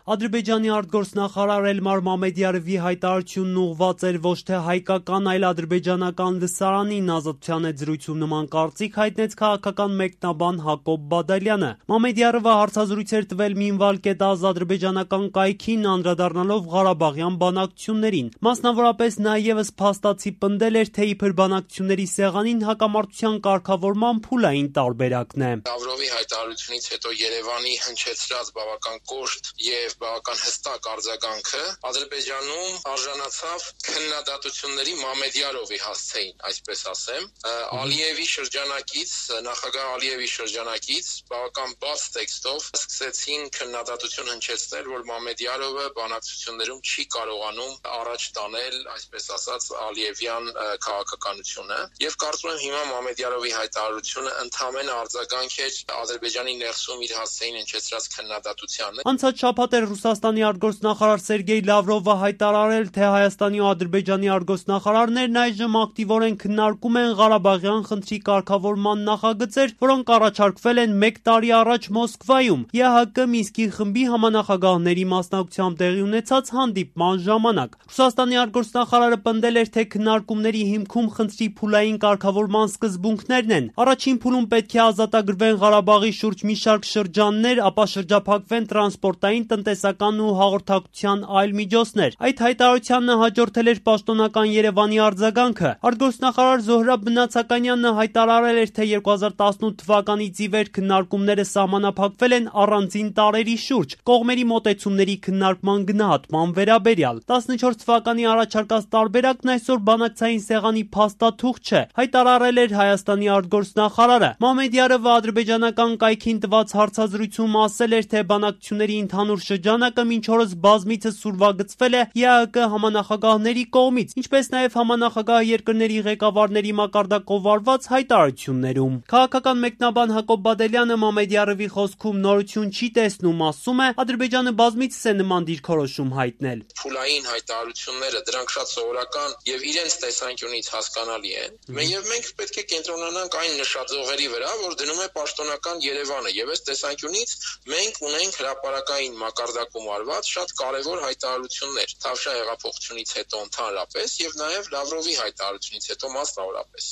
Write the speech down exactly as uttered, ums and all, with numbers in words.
Ադրբեջանի արտգործնախարար Էլմար Մամեդյարովի հայտարարությունն ուղղված էր ոչ թե հայկական, այլ ադրբեջանական լսարանին, Ազատության հետ զրույցում նման կարծիք հայտնեց քաղաքական մեկնաբան Հակոբ Բադալյանը։ Մամեդյարովը հարցազրույց էր տվել Minval.az ադրբեջանական կայքին, անդրադառնալով Ղարաբաղյան բանակցություններին։ Մասնավորապես նա ևս փաստացի պնդել էր, թե իբր բանակցությունների սեղանին հակամարտության կարգավորման փուլային տարբերակն է։ Լավրովի հայտարարությունից հետո Երևանի հնչեցրած բավական կոշտ եւ բավական հստակ արձագանքը Ադրբեջանում արժանացավ քննադատությունների Մամեդյարովի հասցեին, այսպես ասեմ, Ալիևի շրջանակից, նախագահ Ալիևի շրջանակից բավական բաց տեքստով սկսեցին քննադատություն հնչեցնել, որ Մամեդյարովը բանակցություններում չի կարողանում առաջ տանել, այսպես ասած, Ալիևյան քաղաքականությունը, եւ կարծում եմ հիմա Մամեդյարովի հայտարարությունը ընդհանրապես արձագանք էր Ադրբեջանի ներսում իր հասցեին հնչեցրած քննադատությանը։ Անցած շաբաթ էր Ռուսաստանի արտգործնախարար Սերգեյ Լավրովը հայտարարել, թե Հայաստանի ու Ադրբեջանի արտգործնախարարներն այժմ ակտիվորեն քննարկում են Ղարաբաղյան խնդրի կարգավորման նախագծեր, որոնք առաջարկվել են մեկ տարի առաջ Մոսկվայում ԵԱՀԿ Մինսկի խմբի համանախագահների մասնակցությամբ տեղի ունեցած հանդիպման ժամանակ։ Ռուսաստանի արտգործնախարարը պնդել էր, թե քննարկումների հիմքում խնդրի փուլային կարգավորման սկզբունքներն են։ Առաջին փուլում պետք է ազատագրվեն Ղարաբաղի շուրջ մի շարք շրջաններ, ապա շրջափակվեն տրանսպորտային, տնտեսական ու հաղորդակցության այլ միջոցներ։ Այդ հայտարարությանն հաջորդել էր պաշտոնական Երևանի արձագանքը։ Արտգործնախարար Զոհրաբ Բնացականյանը հայտարարել էր, թե երկու հազար տասնութ թվականից ի վեր քննարկումները սահմանափակվել են առանձին տարրերի շուրջ, կողմերի մոտեցումների քննարկման գնահատման վերաբերյալ։ տասնչորս թվականի առաջարկած տարբերակն այսօր բանակցային սեղանի փաստաթուղթ չէ, հայտարարել էր Հայաստանի արտգործնախարարը։ Մամեդյարովը ադրբեջանական կայքին տված հարցազրույցում ասել էր, թե բանակցությունների ընդհանուր շրջանակը մինչ օրս բազմիցս ուրվագծվել է ԵԱՀԿ համանախագահների կողմից, ինչպես նաև համանախագահ երկրների ղեկավարների մակարդակով արված հայտարարություններում։ Քաղաքական մեկնաբան Հակոբ Բադալյանը Մամեդյարովի խոսքում նորություն չի տեսնում, ասում է, Ադրբեջանը բազմիցս է նման դիրքորոշում հայտնել։ Փուլային հայտարարությունները դրանք շատ սովորական եւ իրենց տեսանկյունից հասկանալի են։ Մենք մենք պետք է կենտրոնանանք այն նշաձողերի վրա, որ դնում է պաշտոնական Երևանը, եւ այս տեսանկյունից մենք ունենք հրապարակային մակարդակում արված շատ կարեւոր հայտարարություններ Թավշյա հեղափոխությունից հետո ընդհանրապես եւ նաեւ Լավրովի հայտարարությունից հետո մասնավորապես։